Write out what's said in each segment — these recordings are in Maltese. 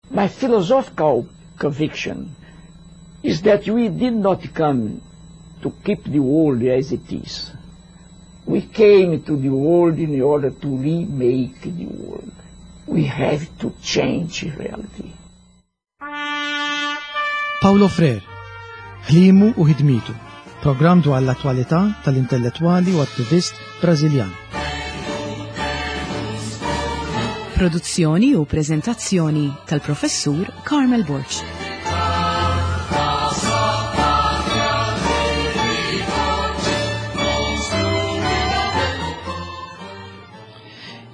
My philosophical conviction is that we did not come to keep the world as it is. We came to the world in order to remake the world. We have to change reality. Paulo Freire, ħlimu u ħidmitu, programm dwar l-attwalità tal-intellettwali u attivist Brażiljan. Produzzjoni u preżentazzjoni tal-Professur Carmel Borg.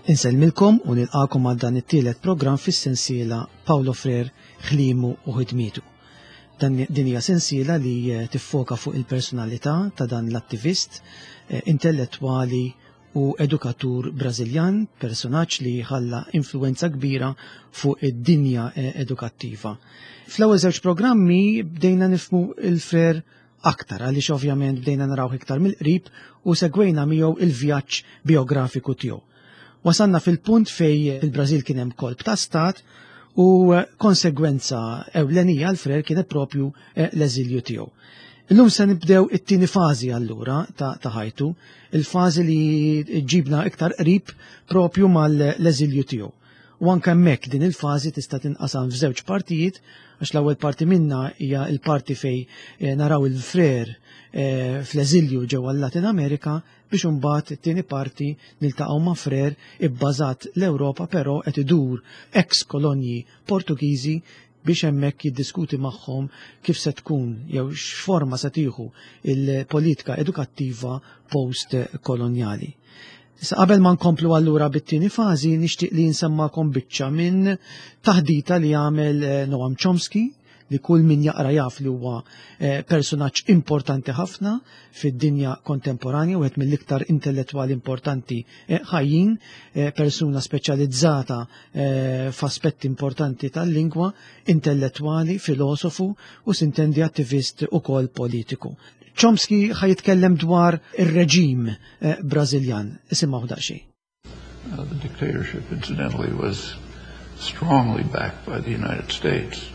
Insellmilkom u nilqakom għal dan it-tielet programm fis-sensiela Paulo Freire ħlimu u ħidmietu. Dan din hija sensiela li eh, tiffoka fuq il-personalità ta' dan l-attivist eh, intellettwali u edukatur Brażiljan, personaġġ li ħalla influenza kbira fuq id-dinja eh, edukattiva. Fl-ewwel żewġ programmi bdejna nifmu il-Freire aktar għaliex ovvjament bdejna narawh iktar mill-qrib u segwejna miegħu il-vjaġġ biografiku tiegħu. Wasalna fil-punt fej fil-Brażil kien hemm kolp ta' stat u konsegwenza ewlenija għal Freire kienet propju eh, l-eżilju tiegħu. Illum se nibdew it-tieni fażi allura ta' ħajtu, il-fażi li ġibna iktar qrib propju mal-eżilju tiegħu. U anke hemmhekk din il-fażi tista' tinqasam f'żewġ partijiet għax l-ewwel parti minna hija l-parti fej eh, naraw il-Freire eh, fl-eżilju ġewwa l-Latin Amerika biex imbagħad it-tieni parti niltaqgħu ma' Freire ibbażat l-Ewropa però qed idur ex kolonji Portugiżi biex hemmhekk jiddiskuti magħhom kif se tkun jew x'forma se tieħu il-politika edukattiva post-kolonjali. Issa qabel ma nkomplu allura bit-tieni fażi nixtieq li nsemmakom biċċa minn taħdita li għamel eh, Noam Chomsky li kull min jaqra jaf li huwa eh, personaġġ importanti ħafna fid-dinja kontemporanja, wieħed mill-iktar intellettwali importanti eh, ħajjin, eh, persuna speċjalizzata f'aspetti importanti tal-lingwa, intellettwali, filosofu u sintendi attivist ukoll politiku. Chomsky ħajitkellem dwar ir-reġim Brażiljan. Isimgħu daqsxejn. Uh, the dictatorship, incidentally, was strongly backed by the United States.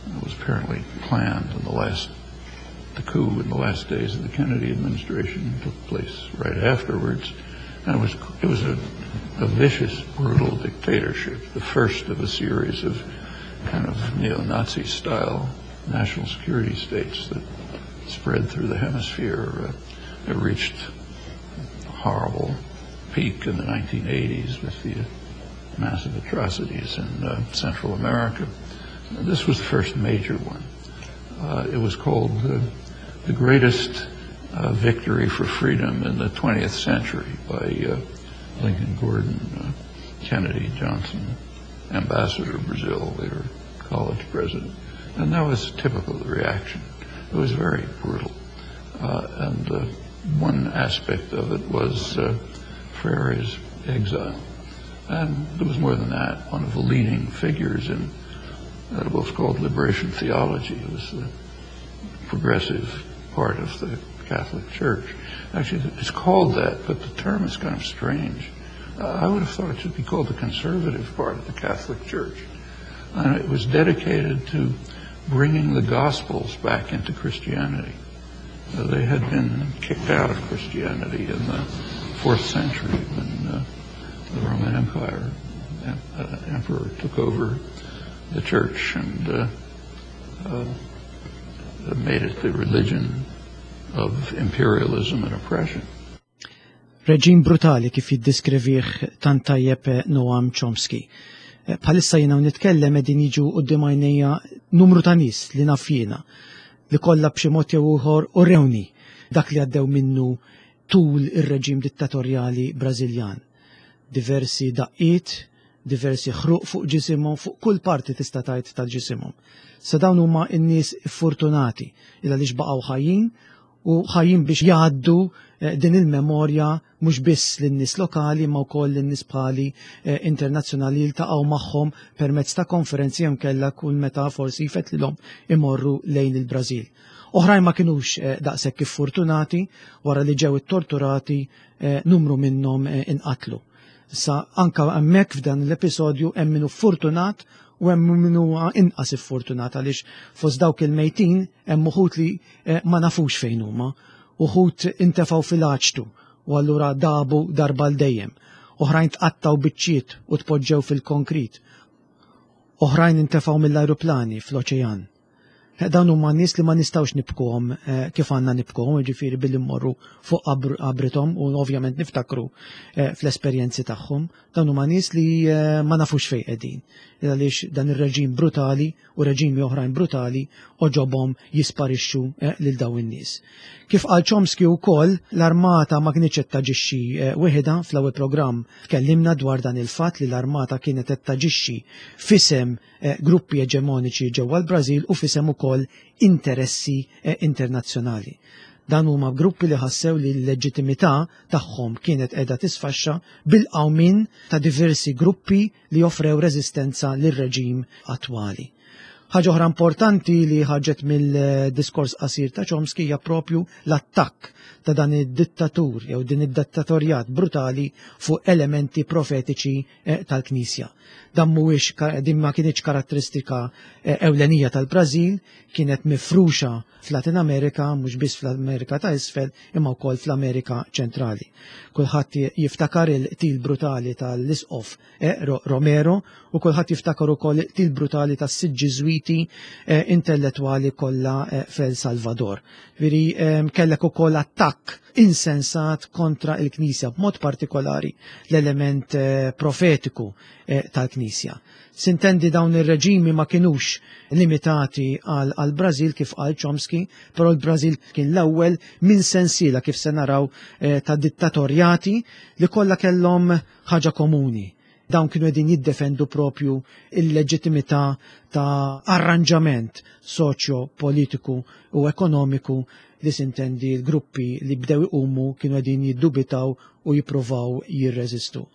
It was apparently planned in the last, the coup in the last days of the Kennedy administration took place right afterwards. And it was, it was a, a vicious, brutal dictatorship, the first of a series of kind of neo-Nazi style national security states that spread through the hemisphere. Uh, it reached horrible peak in the 1980s with the massive atrocities in uh, Central America. This was the first major one. Uh, it was called uh, the greatest uh, victory for freedom in the 20th century by uh, Lincoln Gordon, uh, Kennedy Johnson, ambassador to Brazil, later college president. And that was typical of the reaction. It was very brutal. and one aspect of it was Freire's exile. And there was more than that. One of the leading figures in what was called liberation theology it was the progressive part of the Catholic Church. Actually, it's called that, but the term is kind of strange. Uh, I would have thought it should be called the conservative part of the Catholic Church. And it was dedicated to bringing the Gospels back into Christianity. Uh, they had been kicked out of Christianity in the fourth century when uh, the Roman Empire uh, emperor took over the church and uh, uh, made it the religion of imperialism and oppression. Reġim brutali kif jiddiskrivih tant tajjeb Noam Chomsky. Eh, bħalissa jiena nitkellem qegħdin jiġu quddiem għajnejja numru ta' nies li naf jiena li kollha b'xi mod jew ieħor urewni dak li għaddew minnu tul ir-reġim dittatorjali Brażiljan. Diversi daqqiet, diversi ħruq fuq ġisimhom, fuq kull parti tista' tgħid tal-ġisimhom. Sa dawn huma n-nies fortunati il għaliex baqgħu ħajjin u ħajjin biex jgħaddu eh, din il-memorja mhux biss lin-nies lokali ma wkoll lin-nies bħali eh, internazzjonali jiltaqgħu magħhom permezz ta' konferenzi jew kellha kull meta forsi jfetlilhom imorru lejn il-Brażil. Oħrajn ma kinux eh, daqshekk fortunati wara li ġew ittorturati numru minnhom inqatlu. Sa anka hemmhekk f'dan l-episodju hemm minnu fortunat U hemm min huwa inqas iffortunat għaliex fost dawk il-mejtin hemm uħud li eh, ma nafux fejn huma, uħud intefgħu fil-aċtu u allura dabu darba l dejjem. Oħrajn tqattgħu biċċiet u tpoġġew fil-konkrit. Oħrajn intefgħu mill-ajruplani fl-oċean. Eh, dawn huma nies li ma nistgħux nibkuhom eh, kif għandna nibkuhom, jiġifieri billi mmorru fuq qabrithom u ovvjament niftakru eh, fl-esperjenzi tagħhom. Dawn huma nies li ma nafux fejn qegħdin. Għaliex dan ir-reġim brutali u reġimi oħrajn brutali oġobhom jisparixxu lil dawn in-nies. Kif qal Chomsky wkoll, l-armata ma kinitx qed taġixxi weħidha. Fl-ewwel programm tkellimna dwar dan il-fatt li l-armata kienet qed taġixxi f'isem Eh, gruppi eġemoniċi ġewwa l-Brażil u f'isem ukoll interessi eh, internazzjonali. Dan huma gruppi li ħassew li l-leġittimità tagħhom kienet qiegħda tisfaxxa bil-qawmin ta' diversi gruppi li offrew reżistenza lir-reġim attwali. Ħaġa oħra importanti li ħarġet mill-diskors qasir ta' Chomsky hija propju l-attakk ta' dan id-dittatur jew din id-dittatorjat brutali fuq elementi profetiċi eh, tal-Knisja. Dan mhuwiex din ma kienx karatteristika eh, ewlenija tal-Brażil, kienet mifruxa f'Latin Amerika, mhux biss fl-Amerika ta' isfel, imma wkoll fl-Amerika ċentrali. Kulħadd jiftakar il-qtil brutali tal-isqof eh, Romero u kulħadd jiftakar ukoll il-qtil brutali tas-sitt Ġiżwiti eh, intellettwali kollha eh, f'El Salvador. Veri kellek ukoll attakk insensat kontra il-Knisja, b'mod partikolari l-element profetiku tal-Knisja. Sintendi dawn ir-reġimi ma kinux limitati għal Brażil kif qal Chomsky, però l-Brażil kien l-ewwel minn sensiela kif se naraw ta' dittatorjati li kollha kellhom ħaġa komuni. Dawn kienu qegħdin jiddefendu propju il-leġittimità ta' arranġament soċjo-politiku u ekonomiku li sintendi l-gruppi li bdew iqumu kienu qegħdin jiddubitaw u jippruvaw jirreżistu.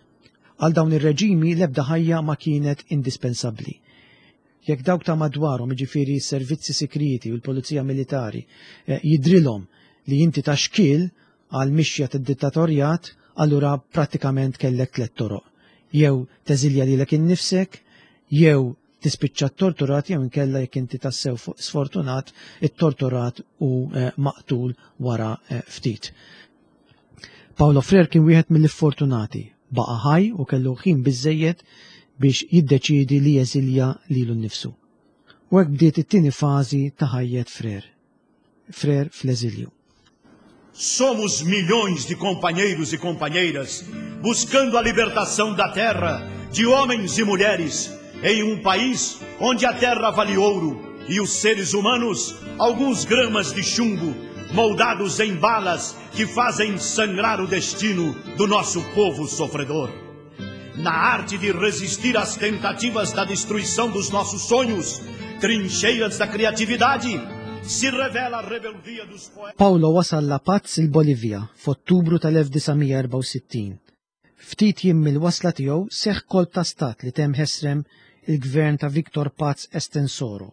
Għal dawn ir-reġimi l-ebda ħajja ma kienet indispensabbli. Jekk dawk ta' madwarhom, jiġifieri s-servizzi sigrieti u l-pulizija militari, eh, jidrilhom li inti ta' xkiel għal mixja tad-dittatorjat, allura prattikament kellek tliet toroq. Jew teżilja lilek innifsek, jew tispiċċa torturat jew inkella jekk inti tassew sfortunat, ittorturat u eh, maqtul wara eh, ftit. Paulo Freire kien wieħed mill-iffortunati, baqa' ħaj u kellu ħin biżejjed biex jiddeċiedi li jeżilja lilu nnifsu. U hekk bdiet it-tieni fażi ta' ħajjet Freire. Freire fl-eżilju. Somos milhões de companheiros e companheiras buscando a libertação da terra, de homens e mulheres, em um país onde a terra vale ouro e os seres humanos alguns gramas de chumbo moldados em balas que fazem sangrar o destino do nosso povo sofredor. Na arte de resistir às tentativas da destruição dos nossos sonhos, trincheiras da criatividade, se revela a rebeldia dos poetas. Paulo wasal La Paz il-Bolivja f'Ottubru tal-1964. Ftit jiem mill-wasla tiegħu seħħ kolp ta' stat li temm ħesrem il-gvern ta' Victor Paz Estensoro.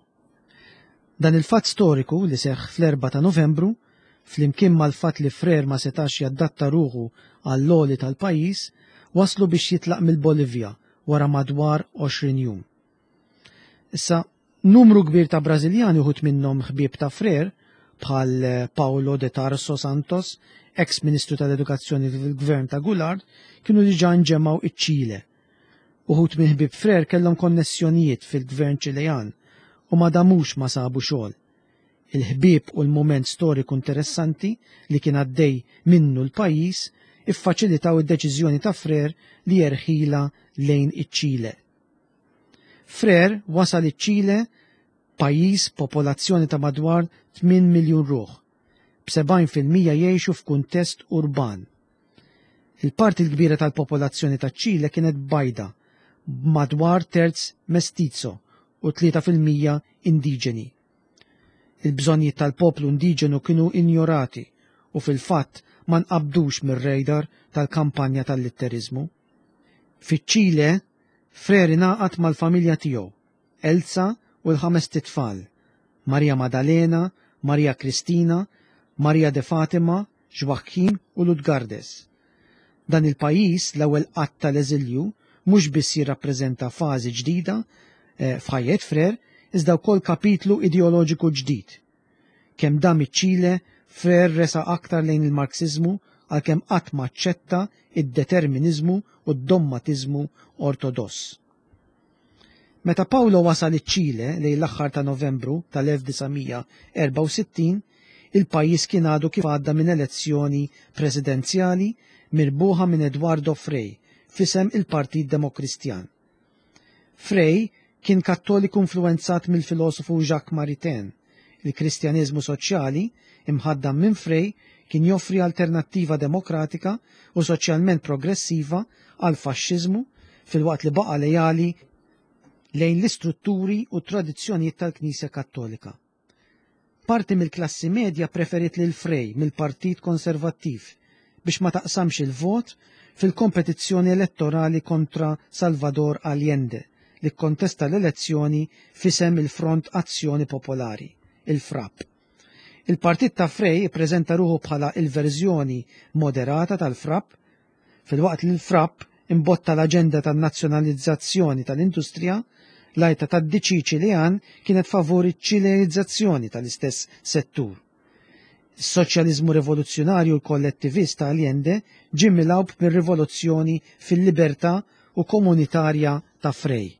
Dan il-fatt storiku li seħħ fl-4 ta' Novembru, flimkien mal-fatt li Freire ma setax jadatta ruħu għall-għoli tal-pajjiż, waslu biex jitlaq mill-Bolivja wara madwar 20 jum. Issa, numru kbir ta' Brażiljani uħud minnhom ħbieb ta' Freire, bħal eh, Paulo de Tarso Santos, ex-Ministru tal-Edukazzjoni fil-Gvern ta' Goulart, kienu diġà nġemgħu iċ-Ċile. Uħud minn ħbieb Freire kellhom konnessjonijiet fil-Gvern Ċilejan u ma damux ma sabu xogħol. Il-ħbieb u l-mument storiku interessanti li kien għaddej minnu l-pajjiż iffaċilitaw id-deċiżjoni ta' Freire li jerħilha lejn iċ-Ċile. Freire wasal iċ-Ċile pajjiż popolazzjoni ta' madwar 8 miljun ruħ, b'70% jgħixu f'kuntest urban. Il-parti l-kbira tal-popolazzjoni taċ-Ċile kienet bajda, b'madwar terz mestizo u 3% indiġeni. Il-bżonnijiet tal-poplu indiġenu kienu injorati u fil-fatt ma nqabdux mir-radar tal-kampanja tal-litteriżmu. Fiċ-Ċile, Freire ingħaqad mal-familja tiegħu, Elsa u l-ħamest itfal, Maria Madalena, Maria Cristina, Maria de Fatima, Joaquim u Lutgardes. Dan il-pajjiż, l-ewwel qatt tal-eżilju, mhux biss jirrappreżenta fażi ġdida eh, f'ħajjet Frere, iżda wkoll kapitlu ideoloġiku ġdid. Kemm dam iċ-Ċile, Frere resaq aktar lejn il-Marxiżmu għalkemm qatt ma aċċetta id-determiniżmu u d-dommatiżmu ortodoss. Meta Paolo wasal iċ-Ċile lejn l-aħħar ta' Novembru tal-1964, il-pajjiż kien għadu kif għadda minn elezzjoni presidenzjali mirbuħa minn Eduardo Frei f'isem il-Partit Demokristjan. Frei kien Kattoliku influwenzat mill-filosofu Jacques Maritain. Il-Kristjaneżmu soċjali, imħaddam minn Frei, kien joffri alternattiva demokratika u soċjalment progressiva għall-faxxiżmu filwaqt li baqa' lejali lejn l-istrutturi u t-tradizzjonijiet tal-Knisja Kattolika. Parti mill-klassi medja preferiet lil Frei mill-Partit Konservattiv biex ma taqsamx il-vot fil-kompetizzjoni elettorali kontra Salvador Allende li kkontesta l-elezzjoni f'isem il-Front Azzjoni Popolari, il-FRAP. Il-partit ta' Frei ippreżenta ruħu bħala il-verżjoni moderata tal-FRAP, Filwaqt li l-FRAP imbotta l-aġenda tan-nazzjonalizzazzjoni tal-industrija, l-għajta tad-DC Ċilean kienet favur iċ-Ċileanizzazzjoni tal-istess settur. Is-soċjaliżmu rivoluzzjonarju u l-kollettivist ta' Allende ġie milgħub mir-rivoluzzjoni fil-libertà u komunitarja ta' Frei.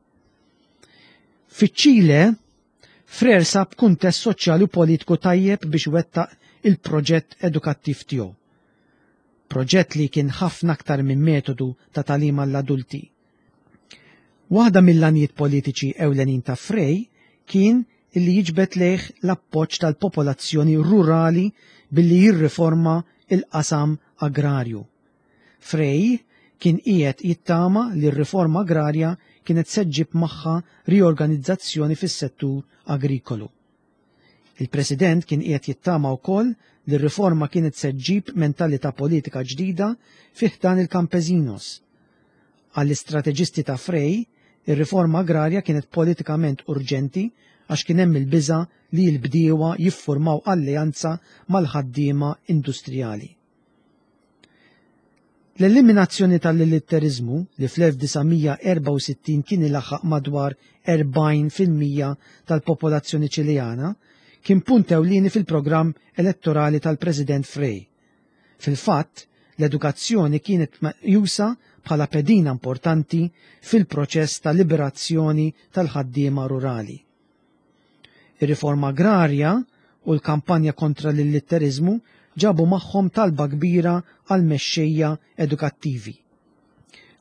Fiċ-Ċile, Frere sab kuntest soċjali u politiku tajjeb biex iwettaq il-proġett edukattiv tiegħu. Proġett li kien ħafna aktar minn metodu ta' tagħlim għall-adulti. Waħda mill-għanijiet politiċi ewlenin ta' Frei kien illi jiġbed lejh l-appoġġ tal-popolazzjoni rurali billi jirriforma l-qasam agrarju. Frei kien qiegħed jittama li r-riforma agrarja kienet se ġġib magħha riorganizzazzjoni fis-settur agrikolu. Il-President kien qiegħed jittama wkoll li r-riforma kienet se ġġib mentalità politika ġdida fi ħdan il-campesinos. Għall-istrateġisti ta' Frei, ir-riforma agrarja kienet politikament urġenti għax kien hemm il-biża' li l-bdiewa jiffurmaw alleanza mal-ħaddiema industrijali. L-eliminazzjoni tal-illitteriżmu, li fl-1964 kien ilaħħaq madwar 40% tal-popolazzjoni Ċileana, kien punt ewlieni fil-programm elettorali tal-President Frei. Fil-fatt, l-edukazzjoni kienet meqjusa bħala pedina importanti fil-proċess ta' liberazzjoni tal-ħaddiema rurali. Ir-riforma agrarja u l-kampanja kontra l-illitteriżmu ġabu magħhom talba kbira għal mexxejja edukattivi.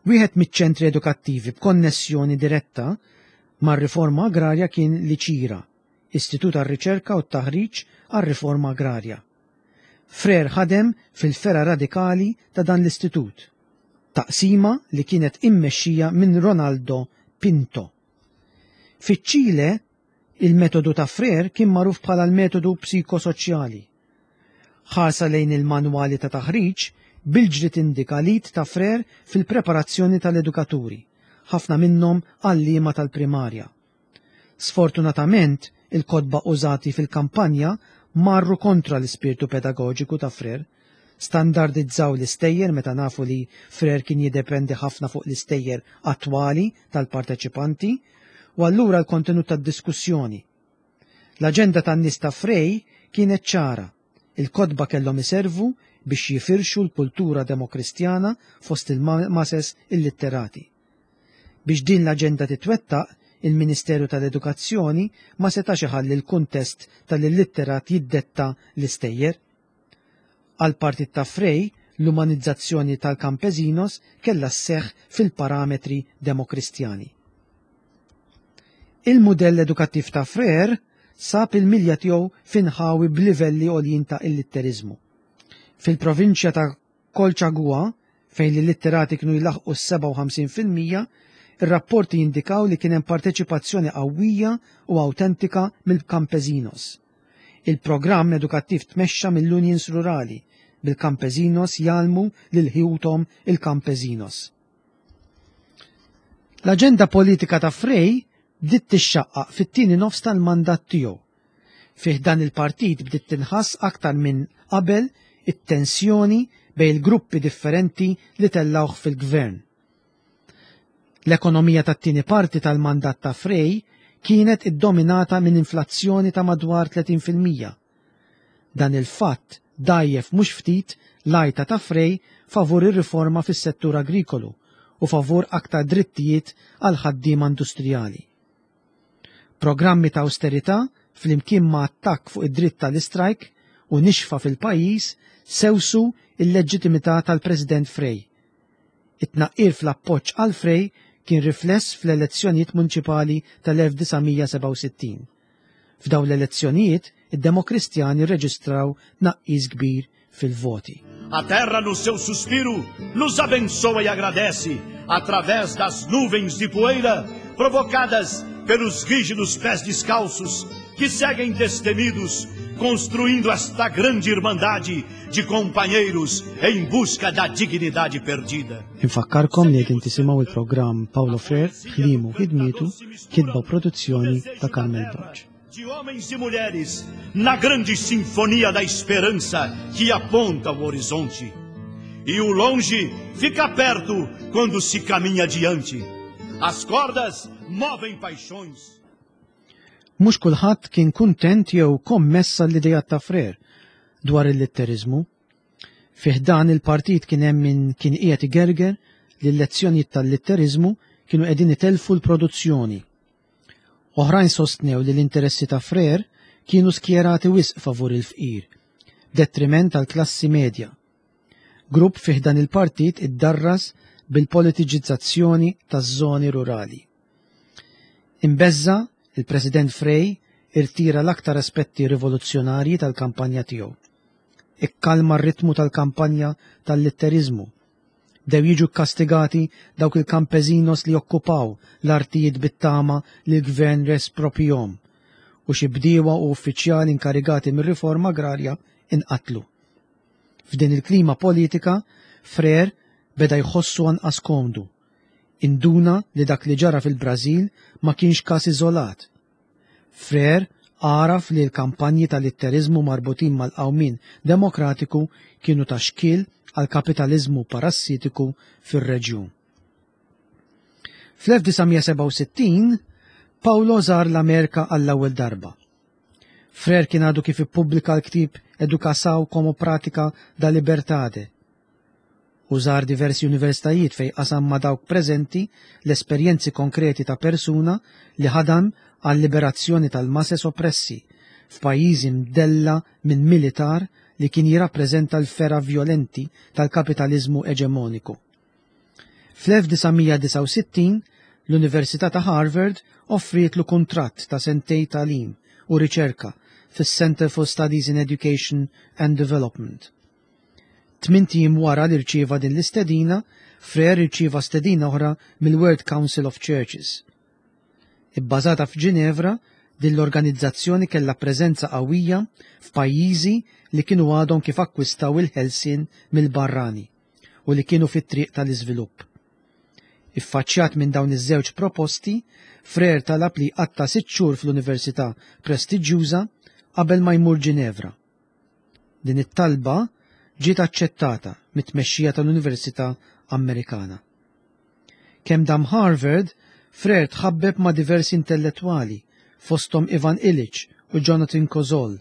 Wieħed miċ-ċentri edukattivi b'konnessjoni diretta mar-riforma agrarja kien l-ICIRA, Istitut għar-Riċerka u t-Taħriġ għar-Riforma Agrarja. Frere ħadem fil-fergħa radikali ta' dan l-istitut, taqsima li kienet immexxija minn Ronaldo Pinto. Fiċ-Ċile, il-metodu ta' Frere kien magħruf bħala l-metodu psikosoċjali. Ħarsa lejn il-manwali ta' taħriġ bil-ġri tindika l-id ta' Frere fil-preparazzjoni tal-edukaturi, ħafna minnhom għalliema tal-primarja. Sfortunatament, il-kotba użati fil-kampanja marru kontra l-ispirtu pedagoġiku ta' Frere. Standardizzaw l-istejjer meta nafu li Frere kien jiddependi ħafna fuq l-istejjer attwali tal-parteċipanti u allura l-kontenut tad-diskussjoni. L-aġenda tan-nies ta' Frei kienet ċara, il-kotba kellhom iservu biex jifirxu l-kultura demokristjana fost il-mases illitterati. Biex din l-aġenda titwettaq, il-Ministeru tal-Edukazzjoni ma setax iħalli l-kuntest tal-illitterat jiddetta l-istejjer. Għall-partit ta' Frei, l-umanizzazzjoni tal-campesinos kellha sseħħ fil-parametri demokristjani. Il-mudell edukattiv ta' Frere sab il-milja tiegħu f'inħawi b'livelli għoljin ta' illitteriżmu. Fil-provinċja ta' Colchagua, fejn l-illitterati kienu jlaħħqu s-57%, ir-rapporti jindikaw li kien hemm parteċipazzjoni qawwija u awtentika mill-campesinos. Il-programm edukattiv tmexxa mill-unions rurali, bil-campesinos jgħallmu lil ħuthom il-campesinos. L-aġenda politika ta' Frei bdiet tixxaqqaq fit-tieni nofs tal-mandat tiegħu. Fi ħdan il-partit bdiet tinħass aktar minn qabel it-tensjoni bejn il-gruppi differenti li tellgħuh fil-gvern. L-ekonomija tat-tieni parti tal-mandat ta' Frei kienet iddominata minn inflazzjoni ta' madwar 30%. Dan il-fatt dgħajjef mhux ftit l-għajta ta' Frei favur ir-riforma fis-settur agrikolu u favur aktar drittijiet għall-ħaddiema industrijali. Programmi ta' awsterità flimkien ma' attakk fuq id-dritt tal-istrajk u nixfa fil-pajjiż sewsu l-leġġitimità tal-President Frei. It-tnaqqir fl-appoġġ għal Frei kien rifless fl-elezzjonijiet munċipali tal-1967. F'dawn l-elezzjonijiet, id-Demokristjani rreġistraw tnaqqis kbir fil-voti. A terra no seu suspiro nos abençoa e agradece através das nuvens de poeira provocadas pelos rígidos pés descalços que seguem destemidos construindo esta grande irmandade de companheiros em busca da dignidade perdida. Infakkarkom li qegħdin tisimgħu il-programm Paulo Freire, ħlimu ħidmietu, kitba u produzzjoni ta' Carmel Borg. De homens e mulheres na grande sinfonia da esperança que aponta o horizonte. E o longe fica perto quando se caminha adiante. As cordas movem paixões. Mhux kulħadd kien kuntent jew kommess għall-ideat ta' Freire dwar il-litteriżmu. Fi ħdan il-partit kien hemm min kien qiegħed igerger li l-lezzjonijiet tal-litteriżmu kienu qegħdin itellfu l-produzzjoni. Oħrajn sostnew li l-interessi ta' Freire kienu skjerati wisq favur il-fqir, b'detriment għall-klassi medja. Grupp fi ħdan il-partit iddarras bil-politiċizzazzjoni taż-żoni rurali. Imbeżża', il-President Frei irtira l-aktar aspetti rivoluzzjonarji tal-kampanja tiegħu. Ikkalma r-ritmu tal-kampanja tal-litteriżmu. Bdew jiġu kkastigati dawk il-kampezinos li okkupaw l-artijiet bit-tama li l-gvern respropjhom u xi bdiewa u uffiċjali inkarigati mir-riforma agrarja inqatlu. F'din il-klima politika, Freire beda jħossu anqas komdu. Induna li dak li ġara fil-Brażil ma kienx każ iżolat. Freire għaraf li l-kampanji ta' litteriżmu marbutin mal-qawmien demokratiku kienu ta' xkiel għall-kapitaliżmu parassitiku fir-reġjun. Fl-1967, Paulo żar l-Amerika għall-ewwel darba. Freire kien għadu kif ippubblika l-ktieb Educação como Prática da Liberdade u żar diversi universitajiet fejn qasam ma' dawk preżenti l-esperjenzi konkreti ta' persuna li ħadam għal-liberazzjoni tal-mases oppressi f'pajjiżi mdella minn militar li kien jirrappreżenta l-fergħa vjolenti tal-kapitaliżmu eġemoniku. Fl-1969, l-Università ta' Harvard offrietlu kuntratt ta' sentej tagħlim u riċerka fis-Center for Studies in Education and Development. Tmint ijiem wara li rċieva din l-istedina, Freire irċieva stedina oħra mill-World Council of Churches. Ibbażata f'Ġinevra, din l-organizzazzjoni kellha preżenza qawwija f'pajjiżi li kienu għadhom kif akkwistaw il-ħelsien mill-barrani u li kienu fit-triq tal-iżvilupp. Iffaċċjat minn dawn iż-żewġ proposti, Freire talab li jqatta' sitt xhur fl-università prestiġjuża qabel ma jmur Ġinevra. Din it-talba ġiet aċċettata mit-tmexxija tal-Università Amerikana. Kemm dam Harvard, Freire tħabbeb ma' diversi intellettwali, fosthom Ivan Illich u Jonathan Kozol.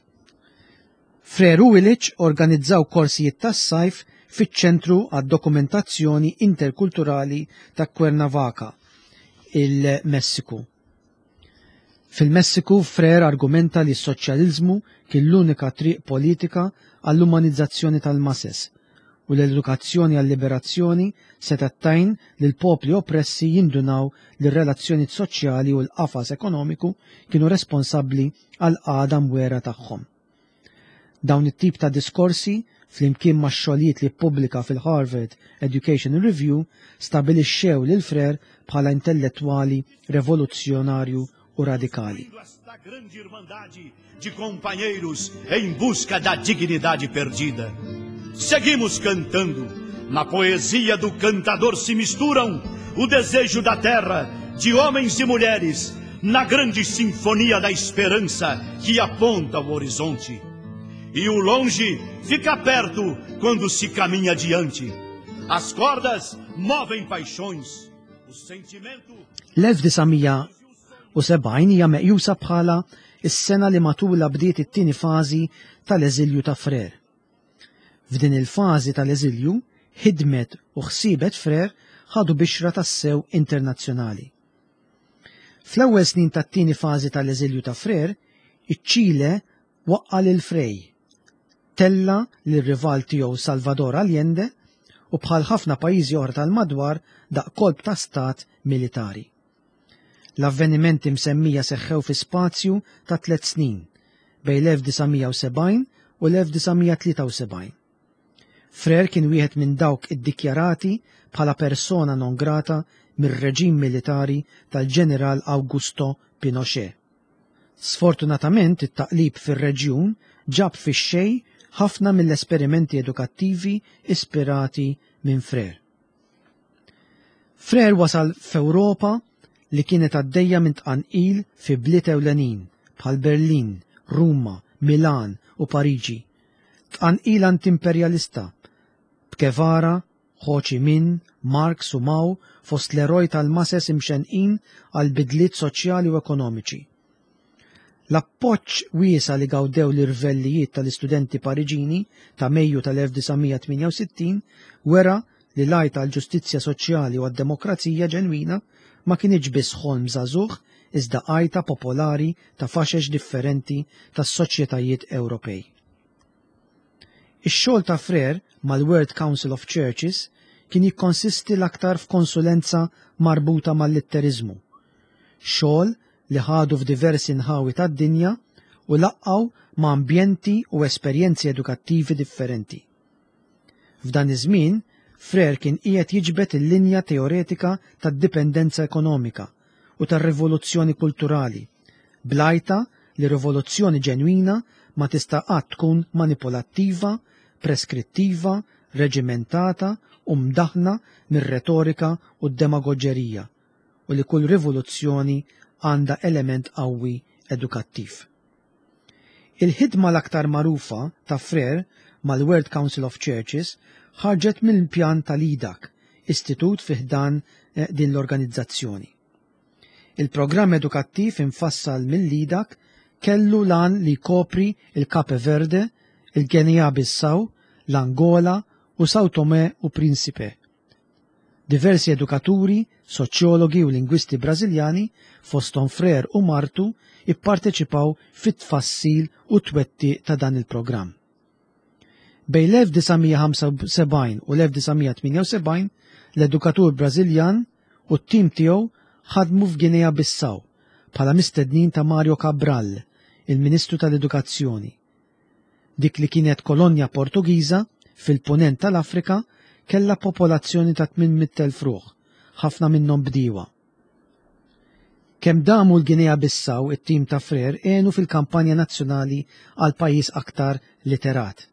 Freire u Illich organizzaw korsijiet tas-sajf fiċ-Ċentru għad-Dokumentazzjoni Interkulturali ta' Cuernavaca, il-Messiku. Fil-Messiku, Freire argumenta li s-soċjaliżmu kien l-unika triq politika għall-umanizzazzjoni tal-mases u l-edukazzjoni għal-liberazzjoni setgħet tgħin lill-popli oppressi jindunaw li r-relazzjonijiet soċjali u l-qafas ekonomiku kienu responsabbli għall-qagħda mwera tagħhom. Dawn it-tip ta' diskorsi, flimkien max-xogħlijiet li ppubblika fil-Harvard Education Review, stabilixxew lil Freire bħala intellettwali revoluzzjonarju u radikali. De companheiros em busca da dignidade perdida. Seguimos cantando. Na poesia do cantador se misturam o desejo da terra, de homens e mulheres, na grande sinfonia da esperança que aponta o horizonte. E o longe fica perto quando se caminha adiante. As cordas movem paixões. L-1970 hija meqjusa bħala s-sena li matulha bdiet it-tieni fażi tal-eżilju ta' Frere. F'din il-fażi tal-eżilju, ħidmet u ħsiebet Frere ħadu bixra tassew internazzjonali. Fl-ewwel snin tat-tieni fażi tal-eżilju ta' Frere, iċ-Ċile waqqa' lil Frei, tella' lir-rival tiegħu Salvador Allende u bħal ħafna pajjiżi oħra tal-madwar daq kolp ta' stat militari. L-avvenimenti msemmija seħħew fi spazju ta' tlett snin, bejn l-1970 u l-1973. Frere kien wieħed minn dawk iddikjarati bħala persona non grata mir-reġim militari tal-Ġeneral Augusto Pinochet. Sfortunatament it-taqlib fir-reġjun ġab fix-xejn ħafna mill-esperimenti edukattivi ispirati minn Frere. Frere wasal f'Ewropa li kienet għaddejja minn tqanqil fi bliet ewlenin bħal Berlin, Ruma, Milan u Pariġi. Tqanqil anti-imperjalista, b'Guevara, Ho Chi Minh, Marx u Mao fost l-eroj tal-mases imxennqin għal bidliet soċjali u ekonomiċi. L-appoġġ wiesa' li gawdew l-irvellijiet tal-istudenti Pariġini ta' Mejju tal-1968 wera li l-għajta għall-ġustizzja soċjali u għad-demokrazija ġenwina ma kinitx biss ħolm żagħżugħ iżda għajta popolari ta' faxex differenti tas-soċjetajiet Ewropej. Ix-xogħol ta' Frere mal-World Council of Churches kien jikkonsisti l-aktar f'konsulenza marbuta mal-litteriżmu, xogħol li ħadu f'diversi nħawi tad-dinja u laqqgħu ma' ambjenti u esperjenzi edukattivi differenti. F'dan iż-żmien, Frere kien qiegħed jiġbed il-linja teoretika tad-dipendenza ekonomika u tar-rivoluzzjoni kulturali, bl-għajta li rivoluzzjoni ġenwina ma tista' qatt tkun manipulattiva, preskrittiva, reġimentata u mdaħħna mir-retorika u d-demagoġerija u li kull rivoluzzjoni għandha element qawwi edukattiv. Il-ħidma l-aktar magħrufa ta' Frere mal-World Council of Churches ħarġet mill-pjan tal-IDAC, istitut fi ħdan din l-organizzazzjoni. Il-programm edukattiv imfassal mill-IDAC kellu l-għan li jkopri l-Cape Verde, il-Guinea-Bissau, l-Angola u São Tomé u Príncipe. Diversi edukaturi, soċjologi u lingwisti Brażiljani, fosthom Frere u martu, ipparteċipaw fit-tfassil u t-twettiq ta' dan il-programm. Bejn l-1975 u l-1978, l-edukatur Brażiljan u t-tim tiegħu ħadmu f'Guinea-Bissau bħala mistednin ta' Mario Cabral, il-Ministru tal-Edukazzjoni. Dik li kienet kolonja Portugiża fil-Punent tal-Afrika kellha popolazzjoni ta' 800,000 ruħ, ħafna minnhom bdiewa. Kemm damu l-Guinea-Bissau it-tim ta' Frere għenu fil-kampanja nazzjonali għal pajjiż aktar literat.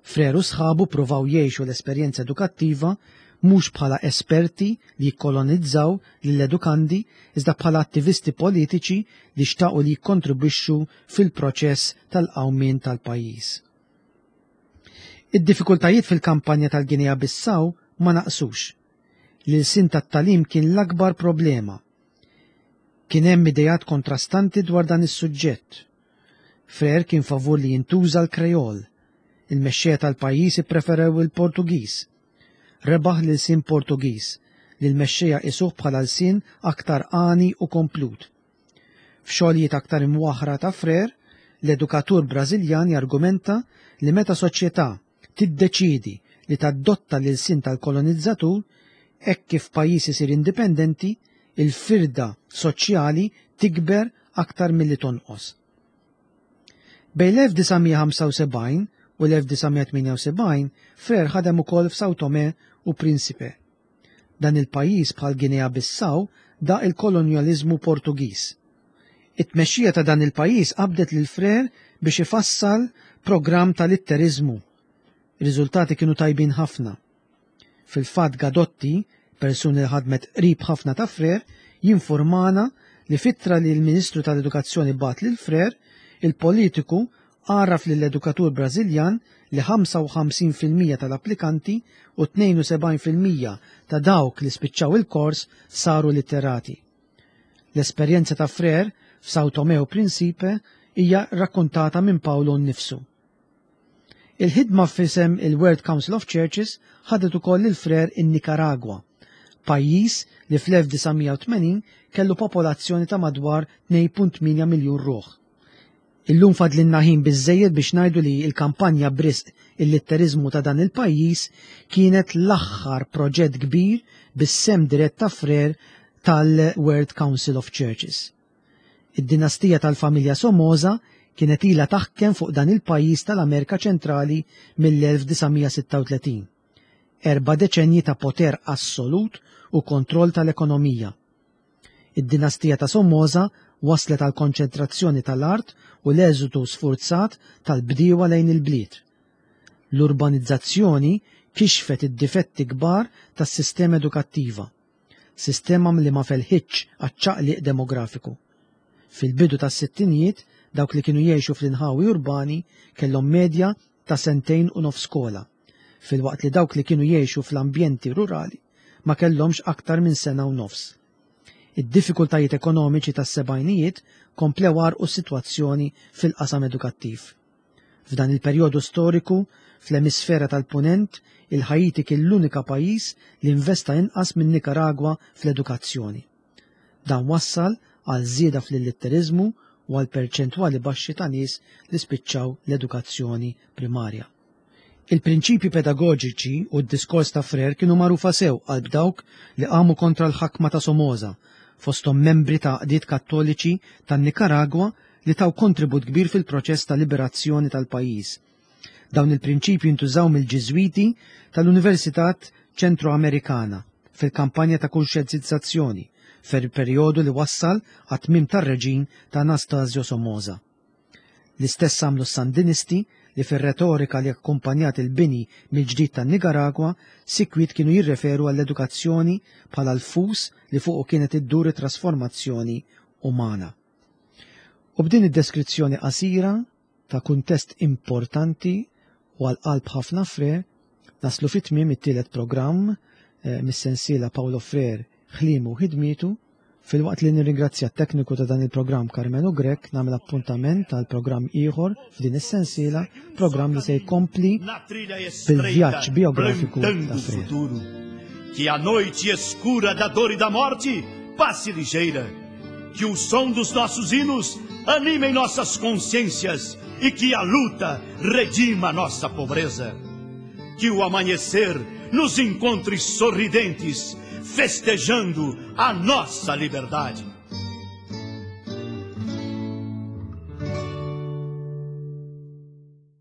Frere u sħabu ppruvaw jgħixu l-esperjenza edukattiva mhux bħala esperti li jikkolonizzaw lill-edukandi iżda bħala attivisti politiċi li xtaqu li jikkontribwixxu fil-proċess tal-qawmien tal-pajjiż. Id-diffikultajiet fil-kampanja tal-Guinea-Bissau ma naqsux. L-ilsien tat-tagħlim kien l-akbar problema. Kien hemm ideat kontrastanti dwar dan is-suġġett. Frere kien favur li jintuża l-Kreol. Il-mexxejja tal-pajjiż ippreferew il-Portugiż. Rebaħ l-ilsien Portugiż, li l-mexxejja qisuh bħala lsien aktar għani u komplut. F'xogħlijiet aktar imwaħħra ta' Frere, l-edukatur Brażiljan jargumenta li meta soċjetà tiddeċiedi li tadotta l-ilsien tal-kolonizzatur, hekk kif pajjiż isir indipendenti, il-firda soċjali tikber aktar milli tonqos. Bejn l-1975 u l-1978, Frere ħadem ukoll f'São Tomé u Príncipe. Dan il-pajjiż bħal Guinea-Bissau daq il-kolonjaliżmu Portugiż. It-tmexxija ta' dan il-pajjiż qabdet lil Frere biex ifassal programm ta' litteriżmu. Ir-riżultati kienu tajbin ħafna. Fil-fatt Gadotti, persuna li ħadmet qrib ħafna ta' Frere, jinfurmana li f'ittra li l-Ministru tal-Edukazzjoni bagħat lil Frere, il-politiku għarraf lill-edukatur Brażiljan li 55% tal-applikanti u 72% ta' dawk li spiċċaw il-kors saru litterati. L-esperjenza ta' Freire f'São Tomé u Principe hija rakkontata minn Paolo nnifsu. Il-ħidma f'isem il-World Council of Churches ħadet ukoll lil Freire in-Nikaragwa, pajjiż li fl-1980 kellu popolazzjoni ta' madwar 2.8 miljun ruħ. Illum fadlinna ħin biżżejjed biex ngħidu li l-kampanja b'risq il-litteriżmu ta' dan il-pajjiż kienet l-aħħar proġett kbir bis-sehem dirett ta' Freire tal-World Council of Churches. Id-dinastija tal-familja Somoza kienet ilha taħkem fuq dan il-pajjiż tal-Amerika Ċentrali mill-1936. Erba' deċennji ta' poter assolut u kontroll tal-ekonomija. Id-dinastija ta' Somoza wasslet għall-konċentrazzjoni tal-art u l-eżodu sfurzat tal-bdiewa lejn il-bliet. L-urbanizzazzjoni kixfet id-difetti kbar tas-sistema edukattiva, sistema li ma felħitx għaċ-ċaqliq demografiku. Fil-bidu tas-sittinijiet, dawk li kienu jgħixu fl-inħawi urbani kellhom medja ta' sentejn u nofs skola, filwaqt li dawk li kienu jgħixu fl-ambjenti rurali ma kellhomx aktar minn sena u nofs. Id-diffikultajiet ekonomiċi tas-sebgħinijiet komplew għarrqu s-sitwazzjoni fil-qasam edukattiv. F'dan il-perjodu storiku, fl-emisfera tal-Punent, il-Ħaiti kien l-unika pajjiż li investa inqas minn Nikaragwa fl-edukazzjoni. Dan wassal għal żieda fl-illitteriżmu u għal perċentwali baxxi ta' nies li spiċċaw l-edukazzjoni primarja. Il-prinċipji pedagoġiċi u d-diskors ta' Freire kienu magħrufa sew qalb dawk li qamu kontra l-ħakma ta' Somoza, fosthom membri ta' għaqdiet Kattoliċi tan-Nikaragwa li taw kontribut kbir fil-proċess ta' liberazzjoni tal-pajjiż. Dawn il-prinċipji ntużaw mill-Ġiżwiti tal-Università Ċentro-Amerikana fil-kampanja ta' kunxjentizzazzjoni fil-perjodu li wassal għat-tmiem tar-reġim ta' Anastasio Somoza. L-istess għamlu s-Sandinisti li fir-retorika li akkumpanjat il-bini mill-ġdid tan-Nikaragwa sikwit kienu jirreferu għall-edukazzjoni bħala l-fus li fuqu kienet iddur it-trasformazzjoni umana. U b'din id-deskrizzjoni qasira ta' kuntest importanti u għal qalb ħafna Freire, naslu fi tmiem it-tielet programm eh, mis-sensiela Paulo Freire ħliemu u ħidmietu. Filwaqt li nirringrazzja t-tekniku ta' dan il-programm Karmenu Grech, nagħmel appuntament għal programm ieħor f'din is-sensiela, programm li se jkompli bil-vjaġġ biografiku ta' Freire. Que a noite escura da dor e da morte passe ligeira. Que o som dos nossos hinos animem nossas consciências e que a luta redima nossa pobreza. Que o amanhecer nos encontre sorridentes, festejando a nossa liberdade.